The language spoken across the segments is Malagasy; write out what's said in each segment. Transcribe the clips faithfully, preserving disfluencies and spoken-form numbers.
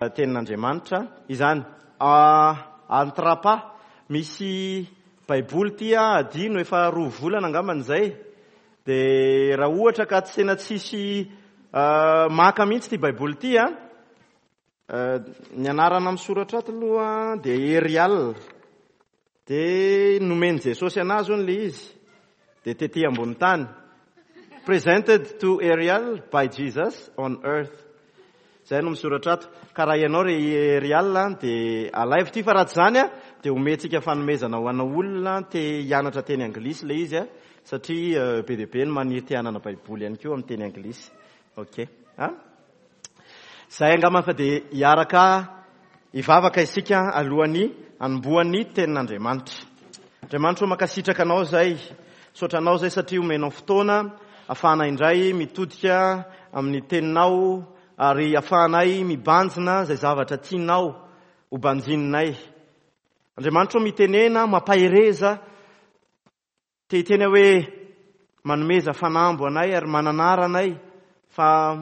Tenin'Andriamanitra izany. Antrapa misy Baiboly ity adino efa roa volana angambany izay. Dia raha ohatra ka tsy tena tsisy maka mihitsy ity Baiboly ity a, ny anarana misoratra ato aloha dia Erial. Dia nomen'i Jesosy anazy hono ilay izy. Dia tety ambony tany. Presented to Ariel by Jesus on earth. Izay no misoratra ato. Ka raha ianao ry Ariel dia alaivo ity, fa raha tsy izany a dia omentsika fanomezana ho anao olona te hianatra teny anglisy ilay izy a, satria be dia be ny maniry te hanana Baiboly ihany koa amin'ny teny anglisy. Ok. Ha? Izay angamba fa dia hiaraka hivavaka isika alohan'ny hanombohan'ny tenin'Andriamanitra. Andriamanitra, mankasitraka anao izay, misaotra anao izay satria omenao fotoana ahafahana indray mitodika amin'ny teninao ary ahafahanay mibanjina izay zavatra tianao ho banjininay. Andriamanitra, mitenena, mampahereza, te hiteny hoe manomeza fanambo anay ary mananara anay, fa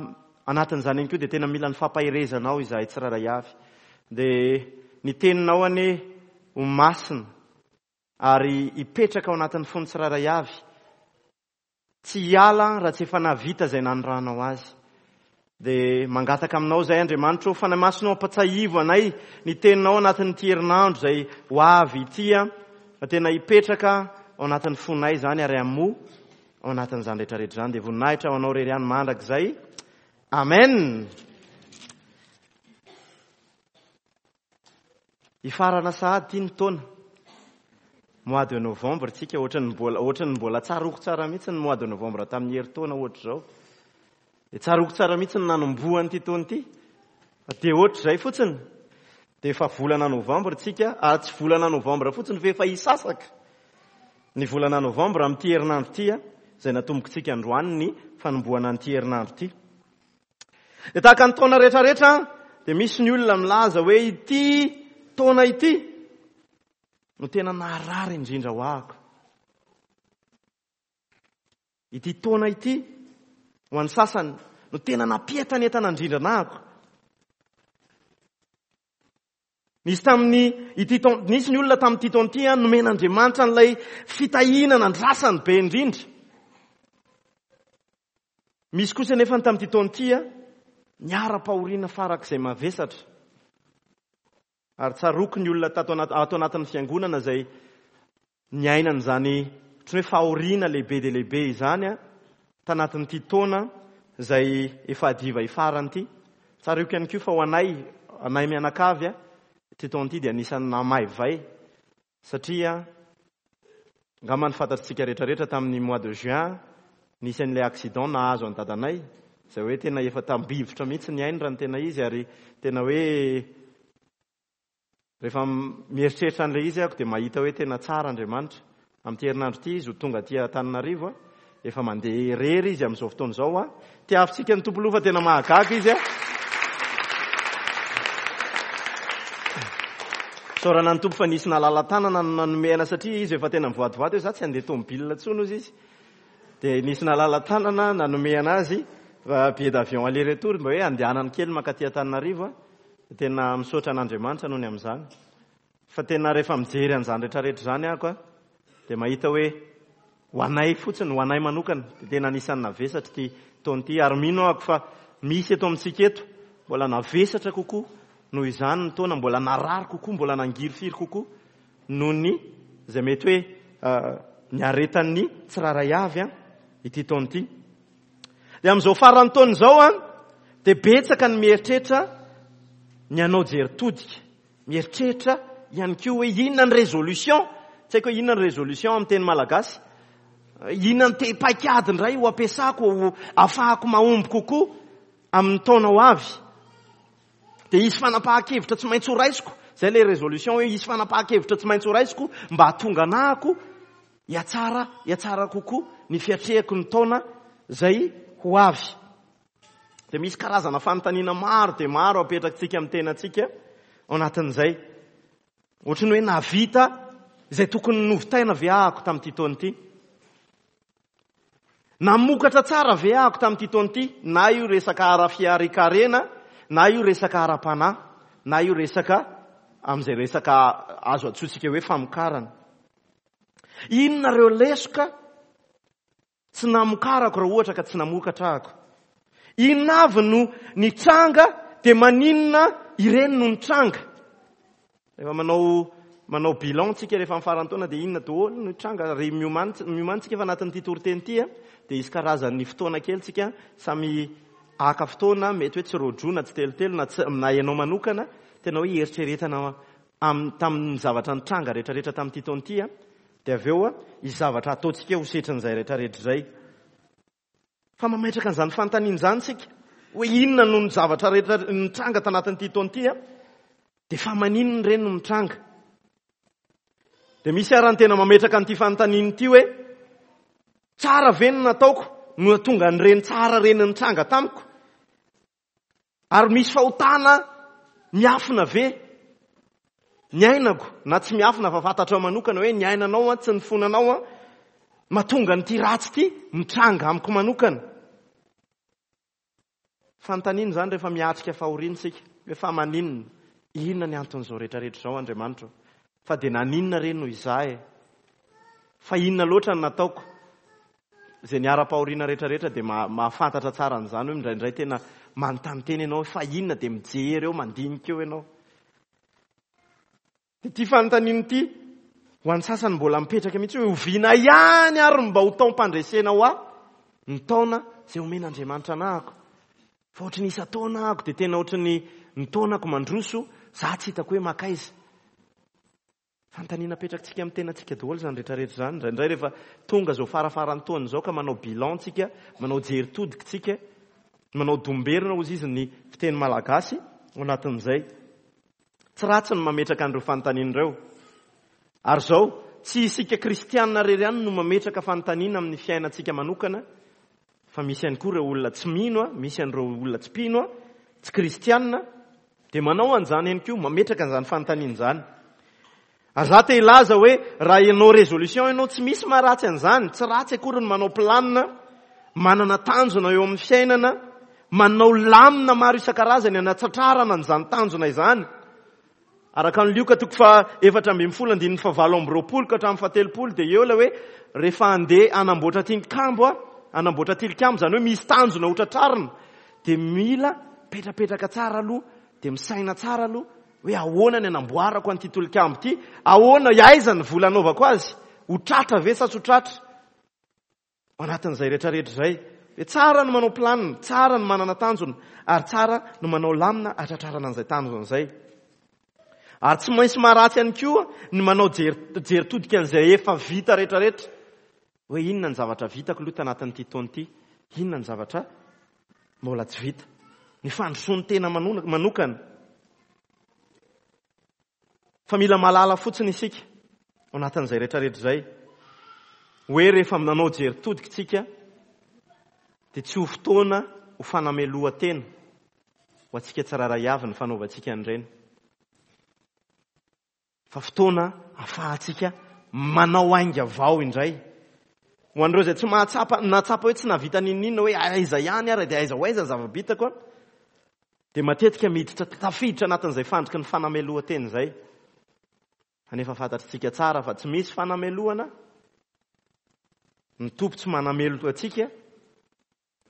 anatin'izany ihany koa dia tena mila ny fampaherezanao izahay tsirairay avy. Dia ny teninao anie ho masina ary hipetraka ao anatin'ny fony tsirairay avy, tsy hiala raha tsy efa nahavita izay nanoranao azy. Dia mangataka aminao izay Andriamanitra, Fanahy Masina, ampatsiahivo anay ny teninao anatin'ity herinandro izay ho avy ity, fa tena hipetraka ao anatin'ny fonay izany ary hamoa ao anatin'izany rehetrarehetra izany. Dia voninahitra ho anao irery ihany mandrakizay. Amen. Hifarana sahady ity ny taona. Mois de novembre tsika, ohatran'ny mbola, ohatran'ny mbola tsaroako tsara mihitsy ny mois de novembre tamin'ny herintaona ohatr'izao. Dia tsaroako tsara mihitsy ny nanombohan'ity taona ity. Dia ohatr'izay fotsiny. Dia efa volana novembre tsika, ary tsy volana novembre fotsiny fa efa hisasaka ny volana novembre amin'ity herinandro ity, izay natombokontsika androany ny fanombohana an'ity herinandro ity. Dia tahaka ny taona rehetrarehetra dia misy ny olona milaza hoe ity taona ity no tena naharary indrindra ho ahako. Ity taona ity ho an'ny sasany no tena nampientanentana indrindra anahako. Nisy tamin'ny ity taona, nisy ny olona tamin'ity taona ity nomen'Andriamanitra an'ilay fitahiana nandrasany be indrindra. Misy kosa nefa ny tamin'ity taona ity niara-pahoriana farak'izay mavesatra. Ary tsaroako ny olona tato anaty, ato anatin'ny fiangonana izay niainana izany ohatran'ny hoe fahoriana lehibe dia lehibe izany a, tanatin'ity taona izay efa hadiva hifarany ity. Tsaroako ihany koa fa ho anay, anay mianakavy a, ity taona ity dia anisan'ny namaivay, satria angamba ny fantatsika rehetrarehetra tamin'ny mois de juin nisy an'ilay accident nahazo an'i dadanay, izay hoe tena efa tambivotra mihitsy ny ainy raha ny tena izy, ary tena hoe rehefa mieritreritra an'ilay izy aho dia mahita hoe tena tsara Andriamanitra. Amin'ity herinandro ity izy ho tonga aty Antananarivo, efa mandeha irery izy amin'izao fotoana izao. Tiavintsika ny Tompo loha fa tena mahagaga izy. Isaorana ny Tompo fa nisy nalala-tanana no nanomehana, satria izy efa tena mivoadivoady hoe za tsy handeha tomobile intsony hozy izy. Dia nisy nalala-tanana nanomehana azy billet d'avion aller-retour mba hoe andehanany kely mankaty Antananarivo. Tena misaotra an'Andriamanitra noho ny amin'izany. Fa tena rehefa mijery an'izany rehetrarehetra izany aho dia mahita hoe ho anay fotsiny, ho anay manokana, dia tena anisan'ny navesatra ity taona ity. Ary mino aho fa misy eto amintsika eto mbola navesatra kokoa noho izany ny taona, mbola narary kokoa, mbola nangirifiry kokoa noho ny izay mety hoe niaretan'ny tsirairay avy ity taona ity. Dia amin'izao faran'ny taona izao a, dia betsaka ny mieritreritra ny hanao jery todika, mieritreritra ihany koa hoe inona ny résolution, tsy haiko hoe inona ny résolution amin'ny teny malagasy, inona ny te-paikady indray ho ampiasako, ho ahafahako mahomby kokoa amin'ny taona ho avy. Dia hisy fanapahan-kevitra tsy maintsy ho raisiko, izay ilay résolution hoe hisy fanapahan-kevitra tsy maintsy ho raisiko mba hahatonga anahako hiatsara, hiatsara kokoa ny fiatrehako ny taona izay ho avy. Dia misy karazana fanontaniana maro dia maro apetrakitsika amin'ny tenantsika ao anatin'izay. Ohatran'ny hoe nahavita izay tokony novitaina ve ahako tamin'ity taona ity? Namokatra tsara ve ahako tamin'ity taona ity? Na io resaka ara-fiarikarena, na io resaka ara-panahy. na io resaka amin'izay resaka azo antsointsika hoe famokarana. Inona ireo lesoka tsy namokarako raha ohatra ka tsy namokatra ako? Inona avy no nitranga dia maninona ireny no nitranga? Rehefa manao manao bilan tsika rehefa amin'ny faran'ny taona dia inona daholo no nitranga? Ry miomany miomany tsika fa anatin'ity toriteny ity a, dia hisy karazan'ny fotoana kely tsika samy haka fotoana, mety hoe tsy roadroa na tsy telotelo na tsy, na ianao manokana tena hoe hieritreretana am-, tamin'ny zavatra nitranga rehetrarehetra tamin'ity taona ity a, dia avy eo a, hisy zavatra ataontsika ho setrin'izay rehetrarehetra izay. Fa mametraka an'izany fanontaniana izany tsika hoe inona no ny zavatra rehetra nitranga tanatin'ity taona ity a, dia fa maninona ireny no mitranga? Dia misy ary ny tena mametraka an'ity fanontaniana ity hoe tsara ve ny nataoko no nahatonga an'ireny tsara ireny nitranga tamiko? Ary misy fahotana miafina ve ny ainako? Na tsy miafina fa fantatrao manokana hoe ny ainanao a, tsy ny fonanao a, mahatonga an'ity ratsy ity mitranga amiko manokana. Fanontaniana izany rehefa miatrika fahoriana isika, hoe fa maninona? Inona ny anton'izao rehetrarehetra izao, Andriamanitra? Fa dia naninona re no izaho e? Fa inona loatra no nataoko? Izay niara-pahoriana rehetrarehetra dia ma-, mahafantatra tsara an'izany hoe indraindray tena manontany tena ianao hoe fa inona, dia mijery eo, mandinika eo ianao. Dia ity fanontaniana ity ho an'ny sasany mbola mipetraka mihitsy hoe oviana ihany ary mba ho taom-pandresena ho ahy ny taona izay omen'Andriamanitra anahako. Fa ohatry ny isan-taona ahako dia tena ohatry ny ny taonako mandroso, za tsy hitako hoe makaiza. Fanontaniana apetrakitsika amin'ny tenantsika daholo izany rehetrarehetra izany. Indraindray rehefa tonga izao farafaran'ny taona izao ka manao bilan tsika, manao jery todika tsika, manao domberina hozy izy ny fiteny malagasy ao anatin'izay. Tsy ratsy ny mametraka an'ireo fanontaniana ireo. Ary izao, tsy isika kristianina irery ihany no mametraka fanontaniana amin'ny fiainantsika manokana, fa misy ihany koa ireo olona tsy mino, misy an'ireo olona tsy mpino, tsy kristianina, dia manao an'izany ihany koa, mametraka an'izany fanontaniana izany. Ary za te hilaza hoe raha ianao résolution ianao, tsy misy maharatsy an'izany, tsy ratsy akory ny manao planina, manana tanjona eo amin'ny fiainana, manao lamina maro isan-karazany anatratrarana an'izany tanjona izany. Araka ny Lioka toko faha efatra ambin'ny folo andininy fahavalo amby roapolo ka hatramin'ny fahatelopolo dia eo ilay hoe rehefa handeha hanamboatra tilikambo a, hanamboatra tilikambo, izany hoe misy tanjona ho tratrarina, dia mila petrapetraka tsara aloha, dia misaina tsara aloha hoe ahoana ny hanamboarako an'ity tilikambo ity, ahoana, aiza ny vola anaovako azy, ho tratra ve sa tsy ho tratra? Ao anatin'izay rehetrarehetra izay, dia tsara ny manao planina, tsara ny manana tanjona, ary tsara ny manao lamina hatratrarana an'izay tanjona izay. Ary tsy maintsy maharatsy ihany koa ny manao jery, jery todika an'izay efa vita rehetrarehetra. Hoe inona ny zavatra vitako aloha tanatin'ity taona ity, inona ny zavatra mbola tsy vita. Ny fandrosoan'ny tena mano-, manokana. Fa mila mahalala fotsiny isika ao anatin'izay rehetrarehetra izay. Hoe rehefa nanao jery todika isika dia tsy ho fotoana ho fanamelohan-tena ho antsika tsirairay avy ny fanaovantsika an'ireny. Fa fotoana ahafahantsika manao ainga vao indray. Ho an'ireo izay tsy mahatsapa, nahatsapa hoe tsy nahavita n'inon'inona hoe aiza ihany ary dia aiza ho aiza ny zava-bitako a, dia matetika miditra tafiditra anatin'izay fandriky ny fanamelohan-tena izay. Kanefa fantatritsika tsara fa tsy misy fanamelohana, ny Tompo tsy manameloka antsika,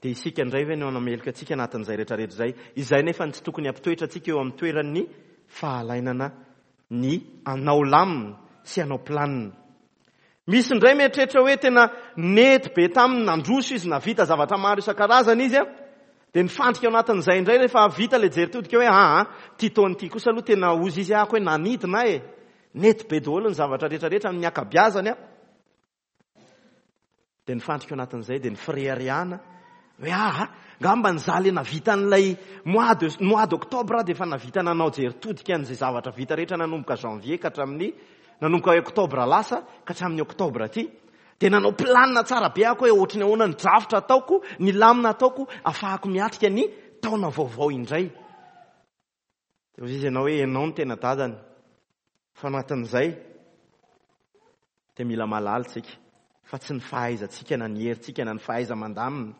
dia isika indray ve no hanameloka antsika anatin'izay rehetrarehetra izay? Izay nefa ny tsy tokony hampitoetra antsika eo amin'ny toeran'ny fahalainana ny anao lamina sy anao planina. Misy indray mieritreritra hoe tena nety be taminy, nandroso izy, navita zavatra maro isan-karazany izy a, dia nifandrika ao anatin'izay indray rehefa vita ilay jery todika hoe aa, ty taona ity kosa aloha tena ozy izy ahako hoe nanidina e, nety be daholo ny zavatra rehetrarehetra amin'ny ankabeazany a. Dia nifandrika ao anatin'izay dia nifireharehana hoe aa, ngamba ny za le navita an'ilay mois de, mois d'octobre dia efa navita nanao jery todika an'izay zavatra vita rehetra nanomboka janvier ka hatramin'ny, nanomboka octobre lasa ka hatramin'ny octobre aty. Dia nanao planina tsara be aho hoe ohatry ny ahoana ny drafitra ataoko, ny lamina ataoko ahafahako miatrika ny taona vaovao indray. Dia hoy izy ianao hoe ianao no tena dadany. Fa anatin'izay dia mila mahalala isika fa tsy ny fahaizantsika na ny herintsika na ny fahaiza-mandamina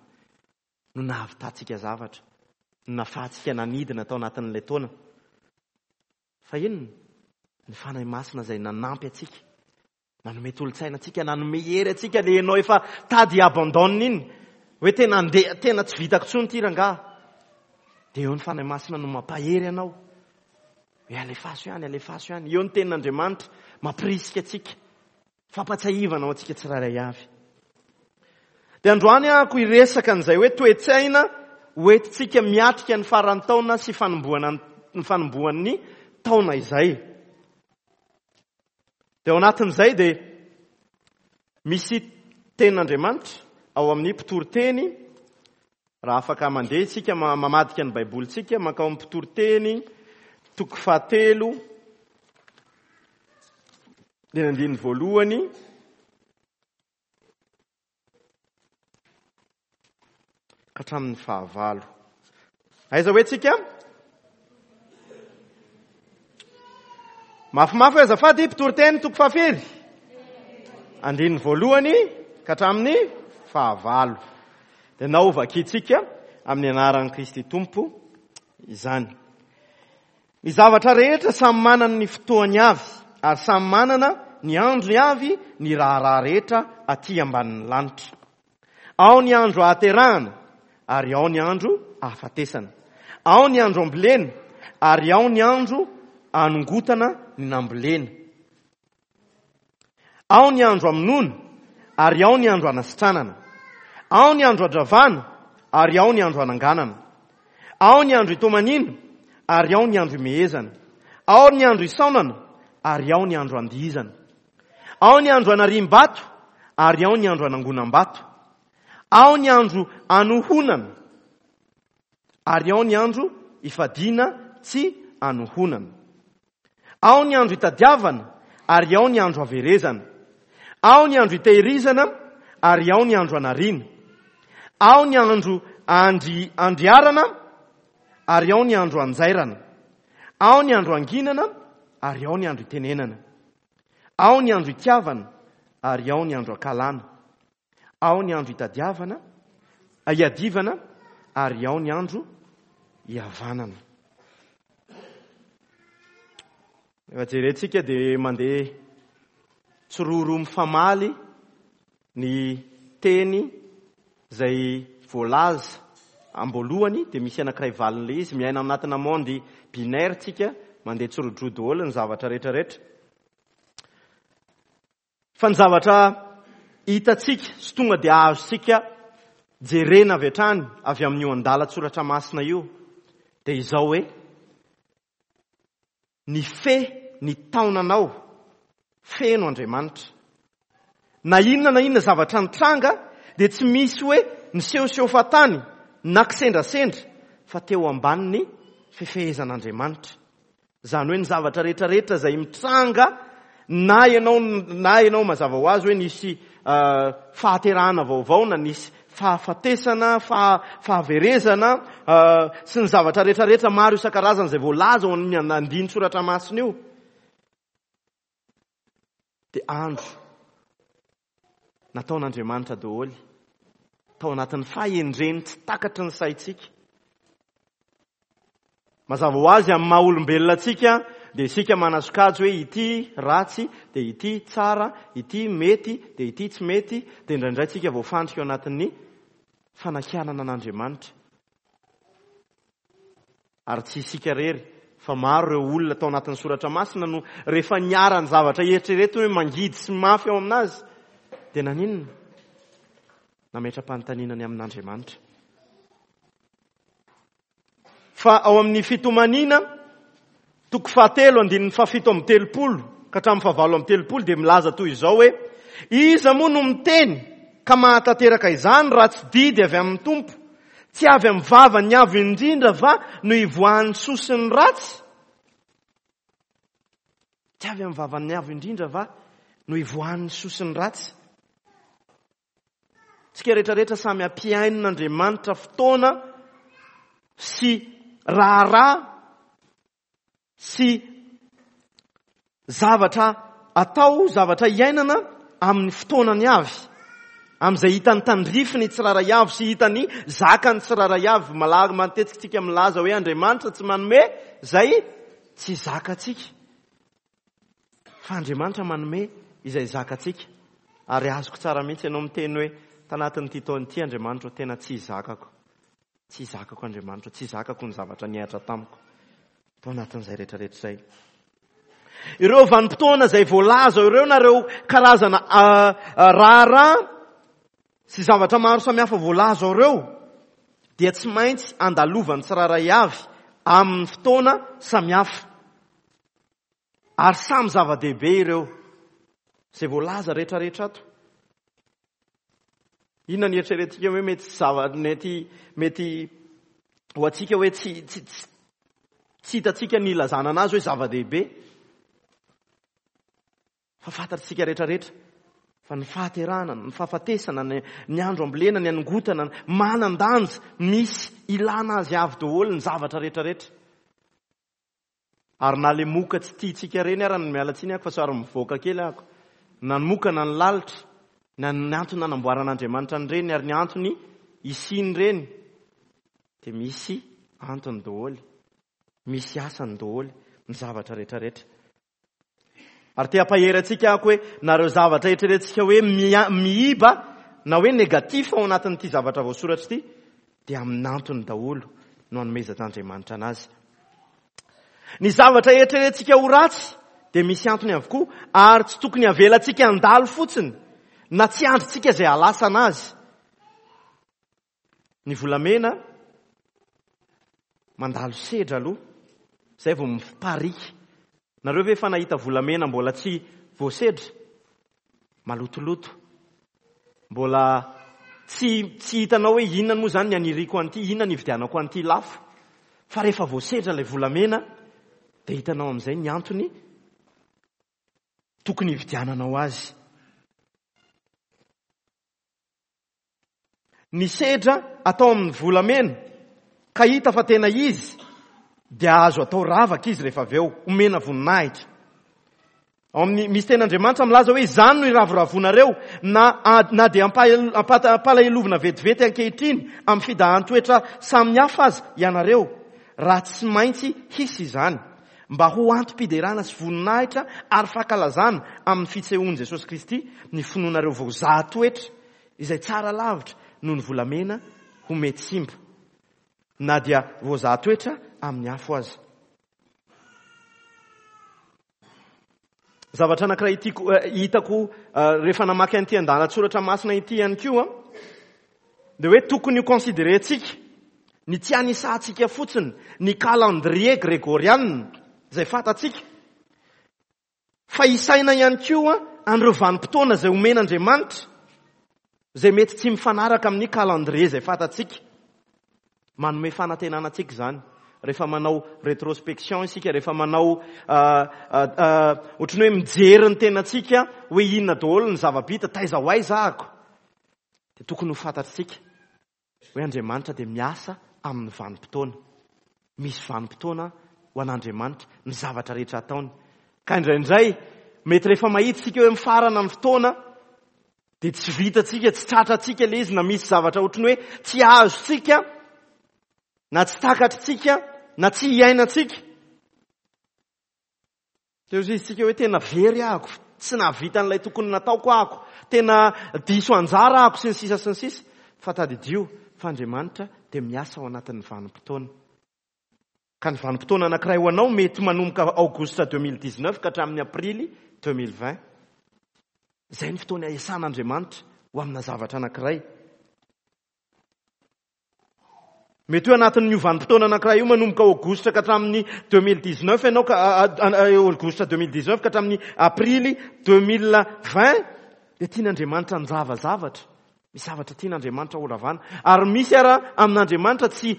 no nahavitantsika zavatra, no nahafahantsika nanidina tao anatin'ilay taona. Fa inona? Ny Fanahy Masina izay nanampy antsika, nanome tolo-tsaina antsika, nanome hery antsika. Le ianao efa tady abandonne iny, hoe tena andeha, tena tsy vitako intsony ity rangahy. Dia eo ny Fanahy Masina no mampahery anao. Hoe alefaso ihany, alefaso ihany. Eo ny tenin'Andriamanitra mampirisika antsika, fampatsiahivana ho antsika tsirairay avy. Dia androany aho hiresaka an'izay hoe toe-tsaina hoentintsika miatrika ny faran'ny taona sy fanombohana ny fanombohan'ny taona izay. Dia ao anatin'izay dia misy tenin'Andriamanitra ao amin'ny mpitoriteny. Raha afaka mandeha isika mamadika ny Baibolintsika mankao amin'ny mpitoriteny toko fahatelo dia andininy voalohany ka hatramin'ny fahavalo. Aiza hoe tsika? Mafimafy hoe azafady, mpitoriteny toko fahafiry? Andininy voalohany ka hatramin'ny fahavalo. Dia nao vakintsika amin'ny anaran'i Kristy Tompo izany. Ny zavatra rehetra samy manana ny fotoany avy ary samy manana ny androny avy ny raharaha rehetra aty ambanin'ny lanitra. Ao ny andro ahaterahana ary ao ny andro ahafatesana. Ao ny andro ambolena ary ao ny andro anongotana ny nambolena. Ao ny andro amonoana ary ao ny andro anasitranana. Ao ny andro andravana ary ao ny andro ananganana. Ao ny andro itomaniana ary ao ny andro imehezana. Ao ny andro isaonana ary ao ny andro andihizana. Ao ny andro anariam-bato ary ao ny andro anangonam-bato. Ao ny andro anohonana ary ao ny andro ifadiana tsy anohonana. Ao ny andro itadiavana ary ao ny andro averezana. Ao ny andro itehirizana ary ao ny andro anariana. Ao ny andro andri, andriarana ary ao ny andro anjairana. Ao ny andro anginana ary ao ny andro itenenana. Ao ny andro itiavana ary ao ny andro akalana. Ao ny andro itadiavana, iadivana ary ao ny andro ihavanana. Rehefa jerentsika dia mandeha tsiroro mifamaly ny teny izay voalaza amboalohany, dia misy anankiray valin'ilay izy. Miaina anatina monde binaire tsika, mandeha tsirodroa daholo ny zavatra rehetrarehetra. Fa ny zavatra hitantsika sy tonga dia azontsika jerena avy hatrany avy amin'io andalan-tsoratra masina io dia izao hoe ny fe ny taonanao feno Andriamanitra. Na inona na inona zavatra nitranga dia tsy misy hoe nisehoseho fahatany na kisendrasendra fa teo ambanin'ny fifehezan'Andriamanitra. Izany hoe ny zavatra rehetrarehetra izay mitranga na ianao na ianao mazava ho azy hoe nisy fahaterahana vaovao na nisy fahafatesana, fahaverezana sy ny zavatra rehetrarehetra maro isan-karazany izay voalaza ao amin'ny andinin-tsoratra masina io, dia andro nataon'Andriamanitra daholo tao anatin'ny fahendreny tsy takatry ny saintsika. Mazava ho azy amin'ny maha olombelona antsika dia isika manasokajy hoe ity ratsy, dia ity tsara, ity mety, dia ity tsy mety, dia indraindray tsika voafandrika ao anatin'ny fanakianana an'Andriamanitra. Ary tsy isika irery fa maro ireo olona tao anatin'ny soratra masina no rehefa niara ny zavatra eritreretiny hoe mangidy sy mafy ao aminazy dia naninona? Nametra-panontaniana ny amin'Andriamanitra. Fa ao amin'ny fitomaniana toko fahatelo andininy fahafito amby telopolo ka hatramin'ny fahavalo amby telopolo dia milaza toy izao hoe iza moa no miteny ka mahatanteraka izany raha tsy didy avy amin'ny Tompo? Tsy avy amin'ny vavany avo indrindra va no ivoahan'ny soa sy ny ratsy? Tsy avy amin'ny vavany avo indrindra va no ivoahan'ny soa sy ny ratsy? Tsika rehetrarehetra samy ampiainan'Andriamanitra fotoana sy raharaha sy zavatra atao, zavatra iainana amin'ny fotoanany avy, amin'izay hitany tandrifiny tsirairay avy sy hitany zakany tsirairay avy. Malaky matetika tsika milaza hoe Andriamanitra tsy manome izay tsy zakantsika. Fa Andriamanitra manome izay zakantsika. Ary azoko tsara mihitsy ianao miteny hoe tanatin'ity taona ity Andriamanitra tena tsy zakako. Tsy zakako Andriamanitra, tsy zakako ny zavatra nihatra tamiko tao anatin'izay rehetrarehetra izay. Ireo vanim-potoana izay voalaza ireo na ireo karazana raharaha sy zavatra maro samihafa voalaza ireo dia tsy maintsy andalovan'ny tsirairay avy amin'ny fotoana samihafa. Ary samy zava-dehibe ireo izay voalaza rehetrarehetra ato. Inona ny eritreretintsika hoe mety zava mety mety ho antsika hoe tsy tsy tsy hitantsika ny ilazana anazy hoe zava-dehibe. Fa fantatsika rehetrarehetra fa ny fahaterahana, ny fahafatesana, ny, ny andro ambolena, ny anongotana, manan-danja, misy ilana azy avy daholo ny zavatra rehetrarehetra. Ary na le moka tsy tiantsika reny ara ny miala tsiny ako fa somary mivoaka kely ako. Na ny moka na ny lalitra, na ny antony nanamboaran'Andriamanitra an'ireny ary ny antony hisian'ireny dia misy antony daholo, misy asany daholo ny zavatra rehetrarehetra. Ary te hampahery antsika ako hoe nareo zavatra eritreretintsika hoe miiba na hoe négatif ao anatin'ity zavatra voasoratra ity dia amin'ny antony daholo no anomezan'Andriamanitra anazy. Ny zavatra eritreretintsika ho ratsy dia misy antony avokoa ary tsy tokony avelantsika handalo fotsiny na tsy andrintsika izay halasana azy. Ny volamena mandalo sedra aloha izay vao miparika. Nareo ve efa nahita volamena mbola tsy voasedra? Malotoloto. Mbola tsy tsy hitanao hoe inona moa zany ny aniriko an'ity, inona ny hividianako an'ity lafo. Fa rehefa voasedra ilay volamena dia hitanao amin'izay ny antony tokony hividiananao azy. Ny sedra atao amin'ny volamena ka hita fa tena izy dia azo atao ravaka izy rehefa avy eo, omena voninahitra. Ao amin'ny misy tenin'Andriamanitra milaza hoe izany no iravoravoanareo na, na dia ampalahelovina vetivety ankehitriny amin'ny fidahan-toetra samihafa aza ianareo, raha tsy maintsy hisy izany mba ho antom-piderana sy voninahitra ary fankalazana amin'ny fisehoan'i Jesosy Kristy ny finoanareo voazaha toetra izay tsara lavitra noho ny volamena ho mety simba na dia voazaha toetra amin'ny afo aza. Zavatra anankiray tiako hitako rehefa namaky an'ity andalan-tsoratra masina ity ihany koa dia hoe tokony ho considérer-tsika ny tsy anisantsika fotsiny ny calendrier grégorian izay fantatsika, fa isaina ihany koa an'ireo vanim-potoana izay omen'Andriamanitra izay mety tsy mifanaraka amin'ny calendrier izay fantatsika. Manome fanantenana antsika izany rehefa manao rétrospection isika, rehefa manao ohatran'ny hoe mijery ny tenantsika hoe inona daholo ny zava-bita, taiza ho aiza ako, dia tokony ho fantatsika hoe Andriamanitra dia miasa amin'ny vanim-potoana. Misy vanim-potoana ho an'Andriamanitra ny zavatra rehetra ataony. Ka indraindray mety rehefa mahita isika hoe mifarana ny fotoana dia tsy vitantsika, tsy tratrantsika ilay izy, na misy zavatra ohatran'ny hoe tsy azontsika na tsy takatritsika na tsy iainantsika. Teo izy isika hoe tena very ahako, tsy nahavita an'ilay tokony nataoko ahako, tena diso anjara ahako sy ny sisa sy ny sisa. Fa tadidio fa Andriamanitra dia miasa ao anatin'ny vanim-potoana. Ka ny vanim-potoana anankiray ho anao mety manomboka aogositra deux mille dix-neuf ka hatramin'ny aprily deux mille vingt. Izay ny fotoana iasan'Andriamanitra ho amina zavatra anankiray. Mety hoe anatin'ny vanim-potoana anankiray io manomboka aogositra ka hatramin'ny deux mille dix-neuf ianao ka aogositra deux mille dix-neuf ka hatramin'ny aprily deux mille vingt dia tian'Andriamanitra handrava zavatra. Misy zavatra tian'Andriamanitra horavana. Ary misy ara amin'Andriamanitra tsy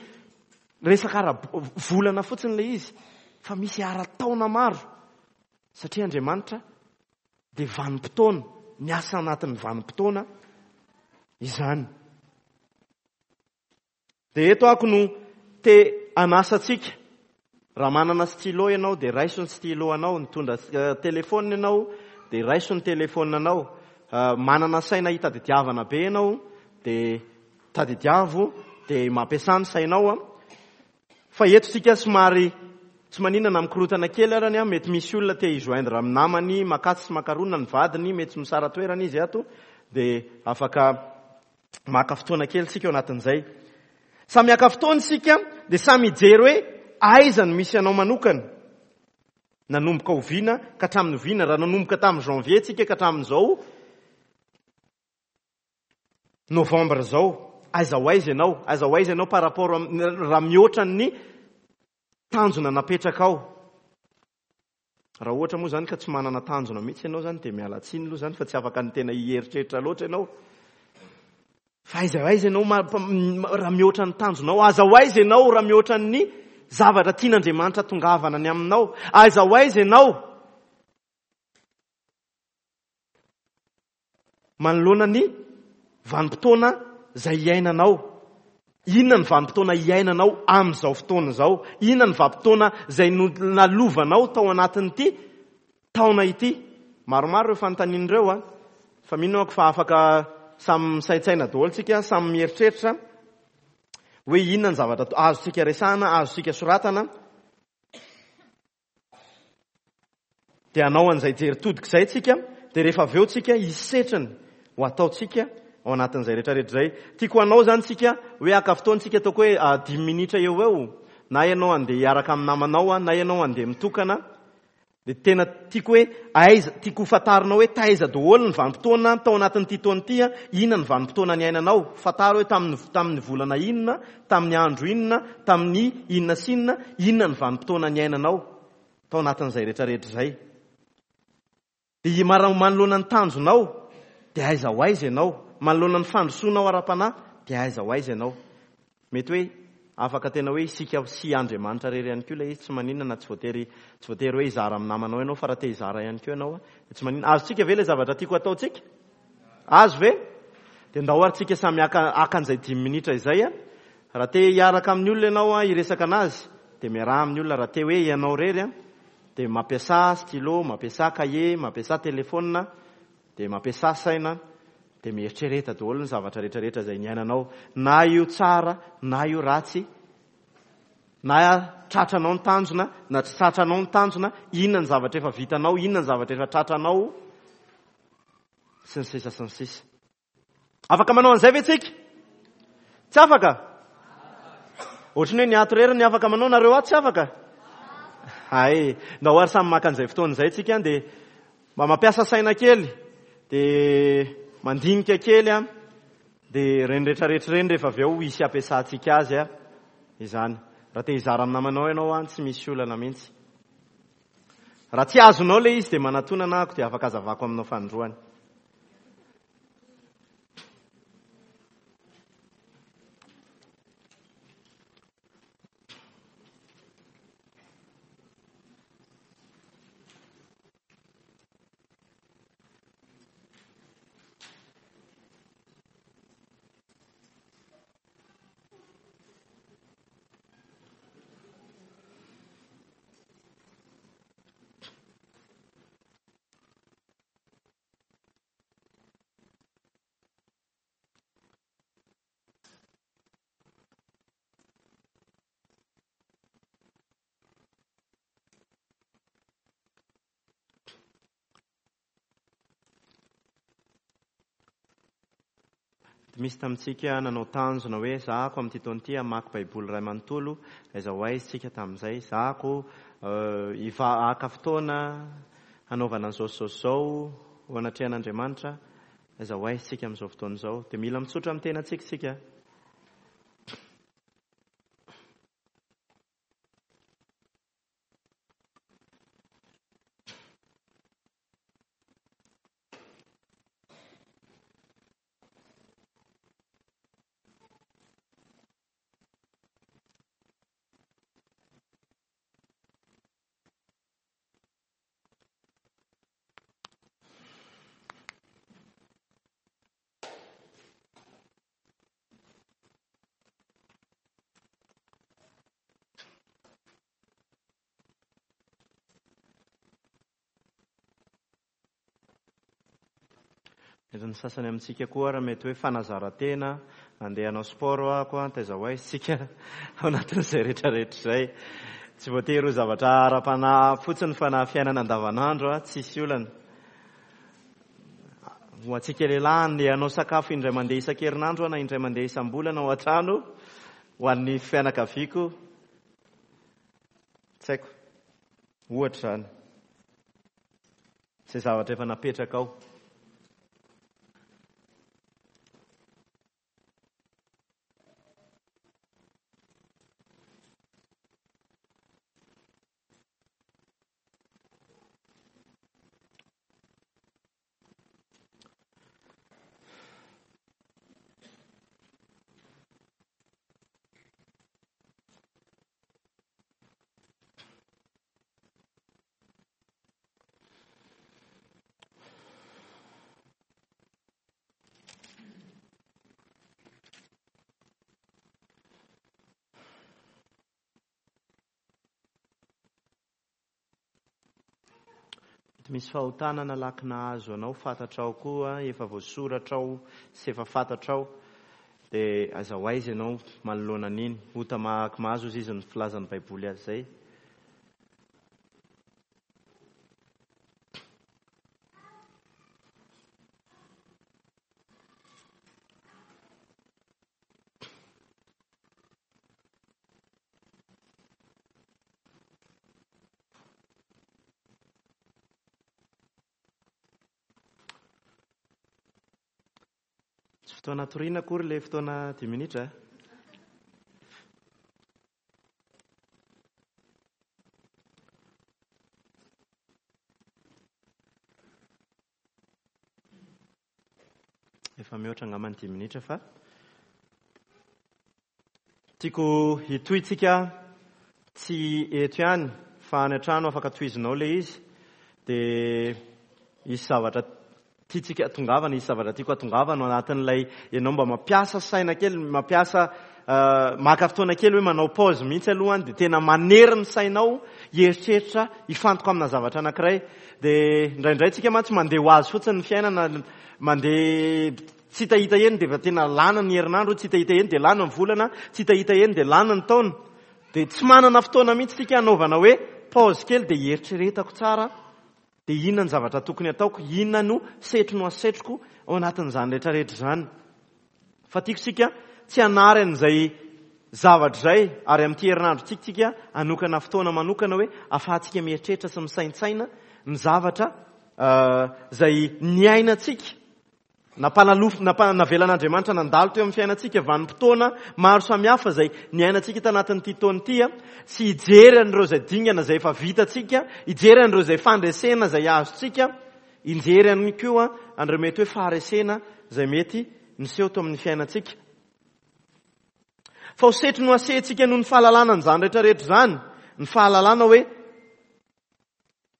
resaka ara-volana fotsiny ilay izy, fa misy ara-taona maro. Satria Andriamanitra dia vanim-potoana, miasa anatin'ny vanim-potoana izany. Dia eto ako no te hanasa antsika. Raha manana stylo ianao dia raiso ny stylo anao, nitondra telefona ianao dia raiso ny telefona anao. Manana saina hitadidiavana be ianao dia tadidiavo, dia mampiasa ny sainao. Fa eto tsika somary Tsy maninona na mikorotana kely arany a, mety misy olona te hijoindre amin'ny namany, makatsy sy makarona ny vadiny, mety tsy misara toerana izy ato, dia afaka maka fotoana kely tsika ao anatin'izay. Samy haka fotoana isika, dia samy hijery hoe aiza no misy anao manokana. Nanomboka oviana ka hatramin'ny oviana, raha nanomboka tamin'ny janvier tsika ka hatramin'izao novembre zao, aiza ho aiza ianao, aiza ho aiza ianao par rapport raha mihoatra ny tanjona napetraka ao. Raha ohatra moa zany ka tsy manana tanjona mihitsy ianao zany, dia miala tsiny aloha zany fa tsy afaka ny tena hieritreritra loatra ianao. Fa aiza ho aiza ianao raha mihoatra ny tanjonao, aiza ho aiza ianao raha mihoatra ny zavatra tian'Andriamanitra tongavana ny aminao, aiza ho aiza ianao manoloana ny vanim-potoana izay iainanao. Inona ny vanim-potoana iainanao amin'izao fotoana izao? Inona ny vanim-potoana izay nalovanao tao anatin'ity taona ity? Maromaro ireo fanontaniana ireo a, fa mino aho fa afaka samy misaintsaina daholo tsika, samy mieritreritra hoe inona ny zavatra azontsika resahana, azontsika soratana. Dia hanao an'izay jery todika izay tsika, dia rehefa avy eo tsika hisetriny ho ataontsika ao anatin'izay rehetrarehetra izay. Tiako hanao zany tsika hoe haka fotoana tsika, ataoko hoe dimy minitra eo eo, na ianao andeha hiaraka amin'ny namanao, na ianao andeha mitokana. Dia tena tiako hoe aiza, tiako ho fantarinao hoe taiza daholo ny vanim-potoana tao anatin'ity taona ity, inona ny vanim-potoana niainanao. Fantaro hoe tamin'ny, tamin'ny volana inona, tamin'ny andro inona, tamin'ny inona sy inona, inona ny vanim-potoana niainanao tao anatin'izay rehetrarehetra izay. Dia manoloana ny tanjonao, dia aiza ho aiza ianao. Manoloana ny fandrosoanao ara-panahy, dia aiza ho aiza ianao. Mety hoe afaka tena hoe isika sy Andriamanitra irery ihany koa ilay izy, tsy maninona na tsy voatery, tsy voatery hoe hizara amin'ny namanao ianao, fa raha te hizara ihany koa ianao, dia tsy maninona. Azontsika ve ilay zavatra tiako ataontsika? Azo ve? Dia ndao ary tsika samy haka, haka an'izay dimy minitra izay. Raha te hiaraka amin'ny olona ianao hiresaka anazy, dia miaraha amin'ny olona. Raha te hoe ianao irery, dia mampiasa stylo, mampiasa cahier, mampiasa telefona, dia mampiasa saina, dia mieritrereta daholo ny zavatra rehetrarehetra izay niainanao, na io tsara na io ratsy, na tratranao ny tanjona na tsy tratranao ny tanjona, inona ny zavatra efa vitanao, inona ny zavatra efa tratranao, sy ny sisa sy ny sisa. Afaka manao an'izay ve tsika? Tsy afaka? Ohatran'ny hoe ny ato irery ny afaka manao, nareo ato tsy afaka? Hay, ndao ary samy maka an'izay fotoana izay tsika, dia mba mampiasa saina kely, dia mandinika kely a, dia ireny rehetrarehetra ireny rehefa avy eo hisy ampiasantsika azy a izany. Raha te hizara amin'ny namanao ianao a, tsy misy olana mihitsy. Raha tsy azonao ilay izy dia manatona anahako, dia afaka azavako aminao fanindroany. Misy tamintsika nanao tanjona hoe zahako amin'ity taona ity hamaky Baiboly iray manontolo, aiza ho aiza tsika tamin'izay, zahako haka fotoana hanaovana an'izao sy izao sy izao ho anatrehan'Andriamanitra, aiza ho aiza tsika amin'izao fotoana izao. Dia mila mitsotra amin'ny tenantsika isika. Mety ny sasany amintsika koa raha mety hoe fanazaran-tena, andeha hanao sport aho koa, taiza ho aiza isika ao anatin'izay rehetrarehetra izay. Tsy voatery ho zavatra ara-panahy fotsiny fa na fiainana andavanandro a, tsisy olana. Ho antsika lehilahy ny hanao sakafo indray mandeha isan-kerinandro na indray mandeha isam-bolana ao an-trano ho an'ny fianakaviako. Tsy haiko. Ohatra izany. Izay zavatra efa napetraka ao. Misy fahotana nalaky nahazo anao, fantatrao koa, efa voasoratrao sy efa fantatrao, dia aiza ho aiza ianao manoloana an'iny. Ota mahaky mahazo izy izy ny filazan'ny Baiboly azy izay. Tsy fotoana toriana akory ilay fotoana dimy minitra. Efa mihoatra angamba ny dimy minitra fa tiako hitohitsika tsy eto ihany fa any an-trano afaka tohizinao ilay izy. Dia hisy zavatra tiantsika atongavana, hisy zavatra tiako atongavana ao anatin'ilay ianao mba mampiasa saina kely, mampiasa maka fotoana kely hoe manao pause mihitsy alohany, dia tena manery ny sainao hieritreritra hifantoka amina zavatra anankiray. Dia indraindray tsika mantsy mandeha ho azy fotsiny ny fiainana, mandeha tsy hitahita eny dia efa tena lany ny herinandro, tsy hitahita eny dia lany ny volana, tsy hitahita eny dia lany ny taona. Dia tsy manana fotoana mihitsy tsika hanaovana hoe pause kely dia hieritreretako tsara. Dia inona ny zavatra tokony ataoko, inona no setriny ho asetriko ao anatin'izany rehetrarehetra izany. Fa tiako isika tsy hanary an'izay zavatra izay, ary amin'ity herinandrontsika tsika hanokana fotoana manokana hoe ahafahantsika mieritreritra sy misaintsaina ny zavatra izay niainantsika, nampanalof-, nampa-, navelan'Andriamanitra nandalo teo amin'ny fiainantsika, vanim-potoana maro samihafa izay niainantsika tanatin'ity taona ity, sy hijery an'ireo izay dingana izay efa vitantsika, hijery an'ireo izay fandresena izay azontsika, hijery ihany koa an'ireo mety hoe faharesena izay mety niseho teo amin'ny fiainantsika. Fa ho setry no asehantsika noho ny fahalalana an'izany rehetrarehetra izany, ny fahalalana hoe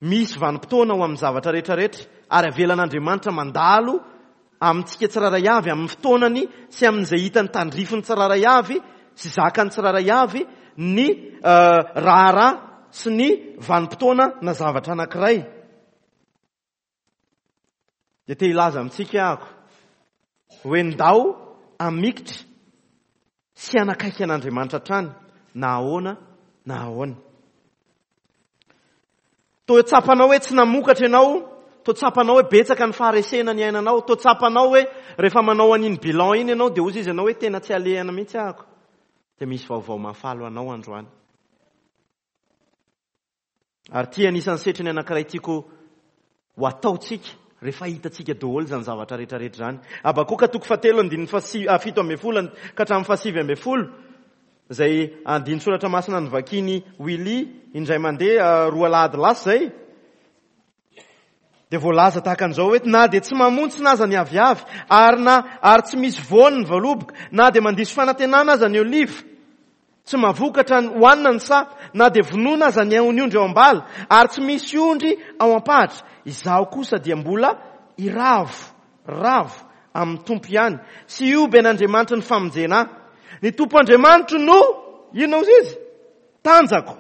misy vanim-potoana ho amin'ny zavatra rehetrarehetra, ary avelan'Andriamanitra mandalo amintsika tsirairay avy, amin'ny fotoanany sy amin'izay hitany tandrifiny tsirairay avy sy zakany tsirairay avy ny raharaha sy ny vanim-potoana na zavatra anankiray. Dia te hilaza amintsika aho hoe ndao hamikitra sy hanakaiky an'Andriamanitra hatrany na ahoana na ahoana. Toa tsapanao hoe tsy namokatra ianao, toa tsapanao hoe betsaka ny faharesena ny ainanao, toa tsapanao hoe rehefa manao an'iny bilan iny ianao dia hozy izy ianao hoe tena tsy alehana mihitsy ahako. Dia misy vaovao mahafaly ho anao androany. Ary ity anisan'ny setriny anankiray tiako ho ataontsika rehefa hitantsika daholo izany zavatra rehetrarehetra izany. Habakoka toko fahatelo andininy fahasi-, ah, fito ambin'ny folo ka hatramin'ny fahasivy ambin'ny folo, izay andinin-tsoratra masina novakiany Willy indray mandeha, ah, roa alahady lasa izay. Dia voalaza tahaka an'izao hoe na dia tsy mamontsina aza ny aviavy, ary na, ary tsy misy voany ny voaloboka, na dia mandiso fanantenana aza ny oliva, tsy mahavokatra ny hohanina ny saha, na dia vonoina aza ny ondry ao am-bala, ary tsy misy ondry ao am-pahatra, izaho kosa dia mbola hiravo, ravo amin'ny Tompo ihany, sy hioby an'Andriamanitry ny famonjena ahy. Ny Tompo Andriamanitro no, inona hozy izy? Tanjako.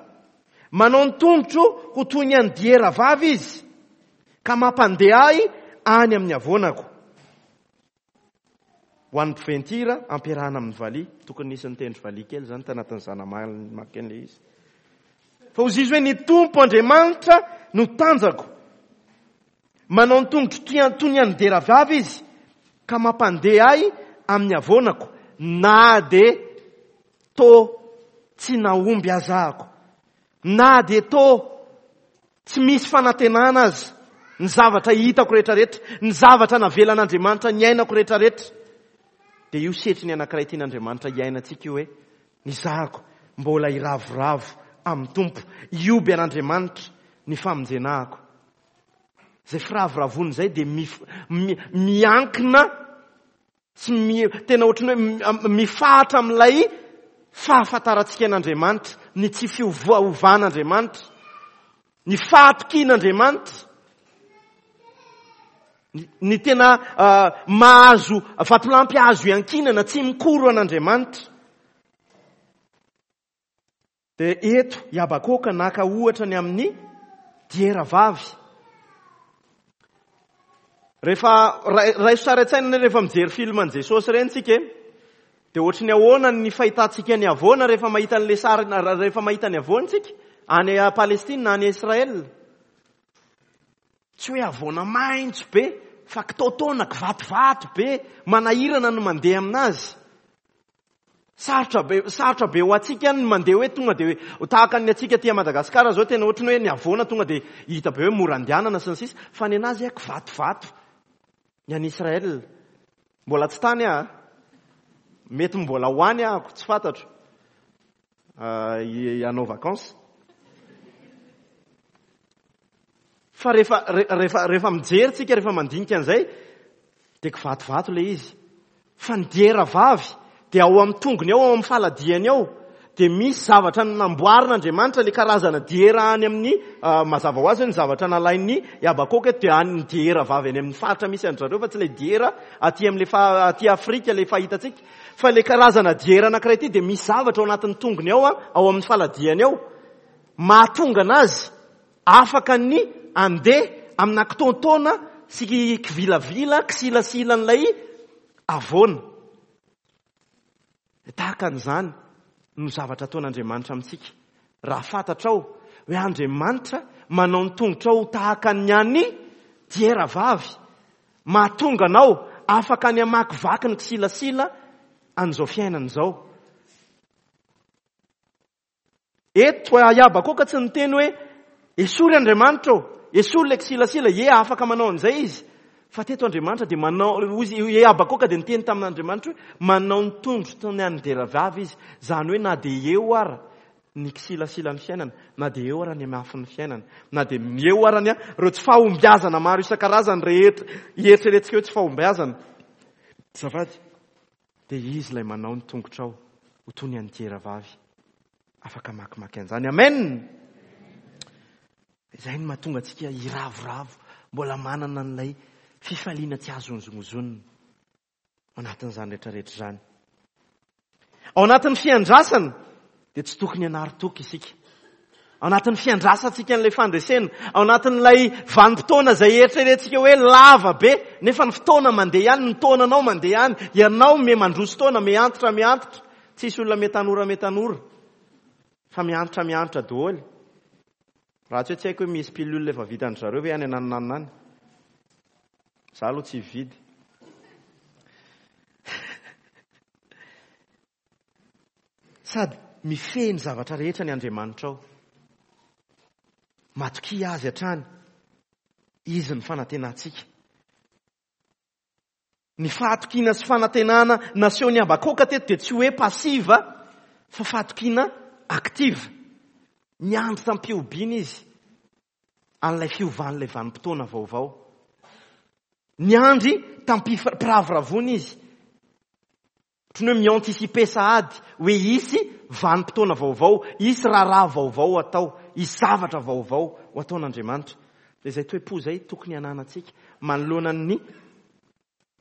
Manao ny tongotro ho toy ny an'ny diera vavy izy, ka mampandeha ahy any amin'ny havoanako. Ho an'ny mpiventira ampiarahana amin'ny valiha. Tokony nisy nitendry valiha kely izany tanatin'ny zana-maky an'ilay izy. Fa hoy izy hoe ny Tompo Andriamanitra no tanjako. Manao ny tongotro toy ny an'ny diera vavy izy ka mampandeha ahy amin'ny havoanako na dia tô tsy nahomby aza ako. Na dia tô tsy misy fanantenana aza ny zavatra hitako rehetrarehetra, ny zavatra navelan'Andriamanitra niainako rehetrarehetra. Dia io setriny anankiray tian'Andriamanitra hiainantsika io hoe ny zahako mbola hiravoravo amin'ny Tompo, hioby an'Andriamanitra ny famonjenahako. Izay firavoravoana izay dia mif-, mi-, miankina sy mi-, tena ohatran'ny hoe mi-, mifahatra amin'ilay fahafantarantsika an'Andriamanitra, ny tsy fiovaovan'Andriamanitra, ny fahatokian'Andriamanitra, ny, ny tena, ah, mahazo vatolampy azo iankinana, tsy mikoro an'Andriamanitra. Dia eto i Habakoka naka ohatra ny amin'ny diera vavy. Rehefa ray-, raiso sary an-tsaina rehefa mijery film an'i Jesosy ireny tsika e, dia ohatry ny ahoana ny fahitantsika ny havoana rehefa mahita an'ilay sary, rehefa mahita ny havoana tsika any Palestina, any Israël. Tsy hoe havoana maitso be, fa kitaotaona, kivatovato be, manahirana ny mandeha aminazy. Sarotra be, sarotra be ho antsika ny mandeha hoe tonga dia hoe tahaka ny antsika aty Madagasikara zao, tena ohatry ny hoe ny havoana tonga dia hita be hoe mora andehanana sy ny sisa, fa ny anazy a kivatovato. Ny any Israël mbola tsy tany aho, mety mbola ho any aho, tsy fantatro. Ah, i-, hanao vacances. Fa rehefa, re-, rehefa, rehefa mijery tsika, rehefa mandinika an'izay, dia kivatovato ilay izy. Fa ny diera vavy dia ao amin'ny tongony ao, ao amin'ny faladiany ao, dia misy zavatra namboarin'Andriamanitra, ilay karazana diera any amin'ny, ah, mazava ho azy hoe ny zavatra nalain'ny Habakoka eto dia any ny diera vavy any amin'ny faritra misy an-dry zareo, fa tsy ilay diera aty amin'ilay fa-, aty Afrika ilay fahitantsika. Fa ilay karazana diera anankiray ity dia misy zavatra ao anatin'ny tongony ao, ao amin'ny faladiany ao, mahatonga anazy afaka ny andeha amina kitaontaona sy kivilavila, kisilasila an'ilay havoana. Tahaka an'izany no zavatra ataon'Andriamanitra amintsika. Raha fantatrao hoe Andriamanitra manao ny tongotrao ho tahaka ny an'ny diera vavy, mahatonga anao afaka ny hamakivaky ny kisilasila an'izao fiainana izao. Eto i Habakoka tsy niteny hoe esory Andriamanitra ô, esory ilay kisilasila, ie afaka manao an'izay izy. Fa teto Andriamanitra dia manao, hoy izy, i Habakoka dia niteny tamin'Andriamanitra hoe manao ny tondro toy ny an'ny diera vavy izy. Izany hoe na dia eo ara ny kisilasila ny fiainana, na dia eo ara ny hamafin'ny fiainana, na dia eo ara ny ireo tsy fahombiazana maro isan-karazany rehetra eritreretintsika hoe tsy fahombiazana. Azafady, dia izy ilay manao ny tongotrao ho toy ny an'ny diera vavy. Afaka mamakimaky an'izany. Amen. Izay no mahatonga antsika hiravoravo, mbola manana an'ilay fifaliana tsy azo hozongozonina ao anatin'izany rehetrarehetra izany. Ao anatin'ny fiandrasana dia tsy tokony hanary toky isika. Ao anatin'ny fiandrasantsika an'ilay fandresena, ao anatin'ilay vanim-potoana izay eritreretintsika hoe lava be, nefa ny fotoana mandeha ihany, ny taonanao mandeha ihany, ianao me mandroso taona, me antitra, me antitra. Tsisy olona me tanora, me tanora, fa miantitra, miantitra daholo. Raha tsy hoe tsy haiko hoe misy pilule efa vitan-dry zareo ve any ananonanona any? Za aloha tsy hividy. Sady mifehy ny zavatra rehetra ny Andriamanitra ao. Matokia azy hatrany. Izy ny fanantenantsika. Ny fahatokiana sy fanantenana nasehon'i Habakoka teto dia tsy hoe passive, fa fahatokiana active. Niandry tamim-pihobiana izy an'ilay fiovan'ilay vanim-potoana vaovao. Niandry tamim-piravoravoana izy. Ohatran'ny hoe mi-anticiper sahady hoe hisy vanim-potoana vaovao, hisy raharaha vaovao atao, hisy zavatra vaovao ho ataon'Andriamanitra. Dia izay toe-po izay tokony hananantsika manoloana ny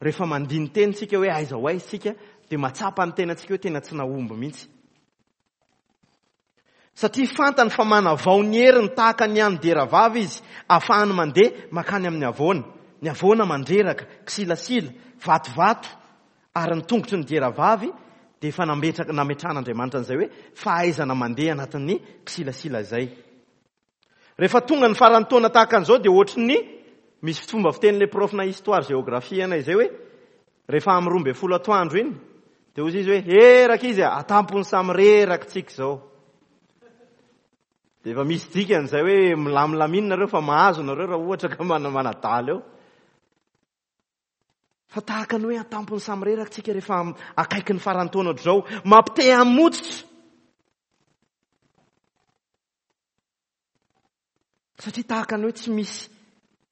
rehefa mandini-teny tsika hoe aiza ho aiza tsika, dia mahatsapa ny tenantsika hoe tena tsy nahomby mihitsy. Satria fantany fa manavao ny heriny tahaka ny an'ny diera vavy izy, ahafahany mandeha mankany amin'ny havoana. Ny havoana mandreraka, kisilasila, vatovato, ary ny tongotry ny diera vavy dia efa nametraka, nametrahan'Andriamanitra an'izay hoe fahaizana mandeha anatin'ny kisilasila izay. Rehefa tonga ny faran'ny taona tahaka an'izao dia ohatry ny misy fomba fiten'ilay profina histoire géographie anay izay hoe rehefa amin'ny roa ambin'ny folo atoandro iny dia hoy izy hoe eraka izy a, atampony samy reraka tsika izao. Dia efa misy dikany izay hoe milamilamina nareo fa mahazo nareo raha ohatra ka manadala eo. Fa tahaka ny hoe atampony samy reraka tsika rehefa akaiky ny faran'ny taona ohatr'izao, mampite hamotsitra. Satria tahaka ny hoe tsy misy,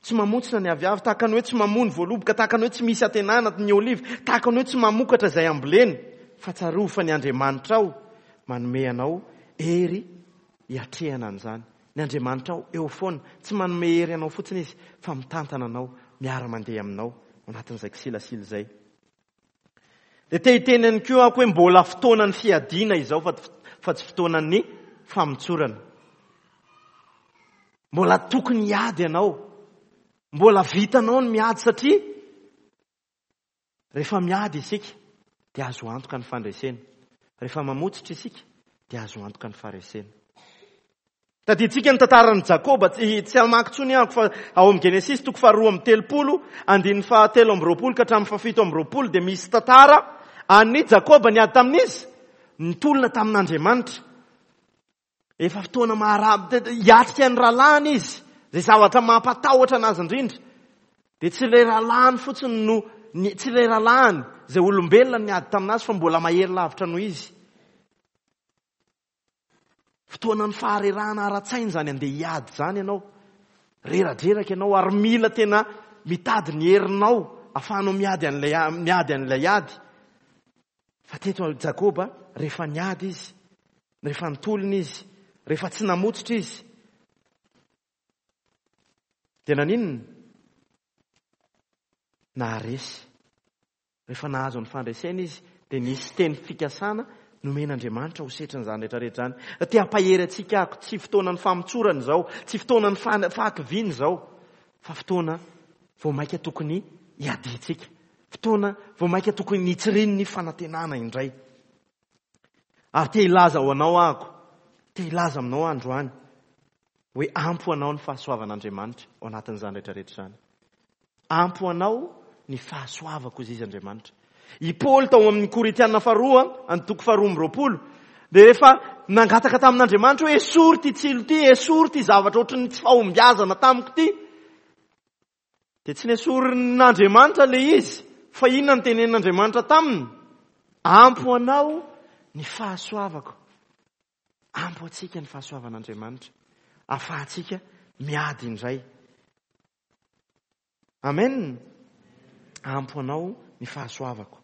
tsy mamotsitra ny aviavy, tahaka ny hoe tsy mamoa ny voaloboka, tahaka ny hoe tsy misy antenana ny oliva, tahaka ny hoe tsy mamokatra izay amboleny. Fa tsarovy fa ny Andriamanitrao manome anao hery hiatrehana an'izany. Ny Andriamanitrao eo foana, tsy manome hery anao fotsiny izy, fa mitantana anao, miara-mandeha aminao ao anatin'izay kisilasila izay. Dia te hiteny ihany koa aho hoe mbola fotoanan'ny fiadiana izao fa, fa tsy fotoanan'ny famotsorana. Mbola tokony hiady ianao. Mbola vitanao ny miady satria rehefa miady isika dia azo antoka ny fandresena. Rehefa mamotsitra isika dia azo antoka ny faharesena. Tadidintsika ny tantaran'i Jakoba, tsy, tsy hamaky intsony aho fa ao amin'ny Genesisy toko faharoa amby telopolo, andininy fahatelo amby roapolo ka hatramin'ny fahafito amby roapolo dia misy tantara an'i Jakoba niady tamin'izy, nitolona tamin'Andriamanitra. Efa fotoana mahara-, hiatrika ny rahalahiny izy, izay zavatra mampatahotra anazy indrindra. Dia tsy ilay rahalahiny fotsiny no, ny, tsy ilay rahalahiny izay olombelona niady taminazy fa mbola mahery lavitra noho izy. Fotoanan'ny faharerahana ara-tsaina izany andeha hiady izany ianao. Reradreraka ianao ary mila tena mitady ny herinao ahafahanao miady an'ilay, miady an'ilay ady. Fa teto Jakoba rehefa niady izy, rehefa nitolona izy, rehefa tsy namotsitra izy, dia naninona? Naharesy. Rehefa nahazo ny fandresena izy, dia nisy teny fikasana nomen'Andriamanitra ho setrin'izany rehetrarehetra izany. Te hampahery antsika aho, tsy fotoanan'ny famotsorana izao, tsy fotoanan'ny fa-, fahakiviana izao, fa fotoana vao mainka tokony hiadiantsika. Fotoana vao mainka tokony hitsirian'ny fanantenana indray. Ary te hilaza ho anao aho, te hilaza aminao androany, hoe ampy ho anao ny fahasoavan'Andriamanitra ao anatin'izany rehetrarehetra izany. Ampy ho anao ny fahasoavako izy Andriamanitra. I Paoly tao amin'ny Korintiana faharoa, antoko faharoa amby roapolo, dia rehefa nangataka tamin'Andriamanitra hoe esory ity tsilo ity, esory ity zavatra ohatran'ny tsy fahombiazana tamiko ity, dia tsy nesorin'Andriamanitra ilay izy, fa inona no tenenin'Andriamanitra taminy? Ampy ho anao ny fahasoavako. Ampy ho antsika ny fahasoavan'Andriamanitra, ahafahantsika miady indray. Amen. Ampy ho anao ny fahasoavako.